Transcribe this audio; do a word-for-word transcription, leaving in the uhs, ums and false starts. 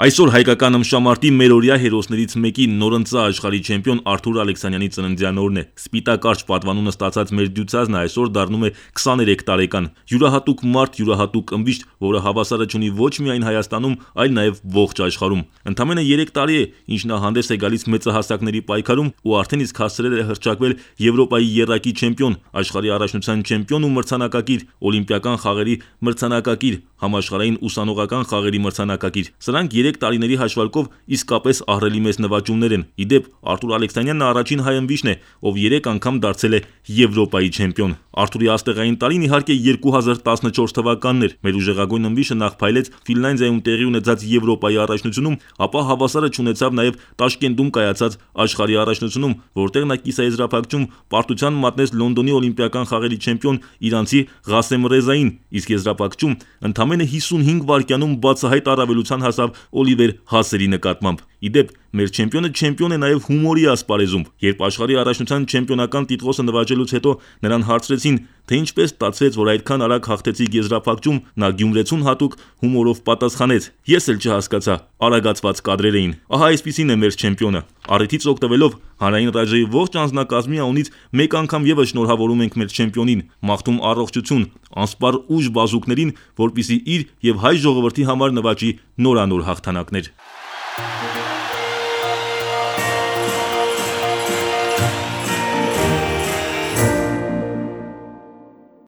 Այսօր հայկական ըմբշամարտի մերօրյա հերոսներից մեկի նորընծա աշխարհի չեմպիոն Արթուր Ալեքսանյանի ծննդյան օրն է։ Սպիտակարճ պատվանունը ստացած մեր դյուծածն այսօր դառնում է քսաներեք տարեկան։ Յուրահատուկ մարդ, յուրահատուկ ըմբիշտ, որը հավասարը չունի ոչ միայն Հայաստանում, այլ նաև ողջ աշխարհում։ Ընդամենը երեք տարի է, ինչ նա հանդես է գալիս մեծահասակների պայքարում ու արդեն իսկ հասցրել է հռչակվել Եվրոպայի եռակի չեմպիոն, աշխարհի առաջնության չեմպիոն ու մրցանակակիր, օլիմպիական խաղերի մրցանակակիր, համաշխարհային ուսանողական խաղերի մրցանակակիր։ Սրանք երեք տարիների հաշվարկով իսկապես ահռելի մեծ նվաճումներ են։ Ի դեպ, Արթուր Ալեքսանյանն առաջին հայ ըմբիշտն է, ով երեք անգամ դարձել է Եվրոպայի չեմպիոն։ Արթուրի աստեղային տարին իհարկե երկու հազար տասնչորս թվականն էր։ Մեր ուժեղագույն ըմբիշտը նախ փայլեց Ֆինլանդիայում տեղի ունեցած Եվրոպայի առաջնությունում, ապա հավասարը չունեցավ նաև Տաշկենտում կայացած աշխարհի առաջնությունում, որտեղ նա կիսաեզրափակչում պարտության մատնեց Լոնդոնի օլիմպիական խաղերի չեմպիոն իրանցի Ղասեմ Ռեզային, իսկ եզրափակչում ընդամենը հիսունհինգ վայրկյանում բացահայտ առավելության հասավ Օլիվեր Հասերի նկատմամբ։ Ի դեպ, մեր չեմպիոնը չեմպիոն է նաև հումորի ասպարեզում։ Երբ աշխարհի առաջնության չեմպիոնական տիտղոսը նվաճելուց հետո նրան հարցրեցին, թե ինչպես ստացվեց, որ այդքան արագ հաղթեցիք եզրափակչում, նա գյումրեցուն հատուկ հումորով պատասխանեց. Ես էլ չհասկացա, արագացված կադրեր էին։ Ահա այսպիսին է մեր չեմպիոնը։ Առիթից օգտվելով հանրային ռադիոյի ողջ անձնակազմի անունից մեկ անգամ եւս շնորհավորում ենք մեր չեմպիոնին, մաղթում առողջություն, անսպառ ուժ բազուկներին, որպիսի իր եւ հայ ժողովրդի համար նվաճի նորանոր հաղթանակներ։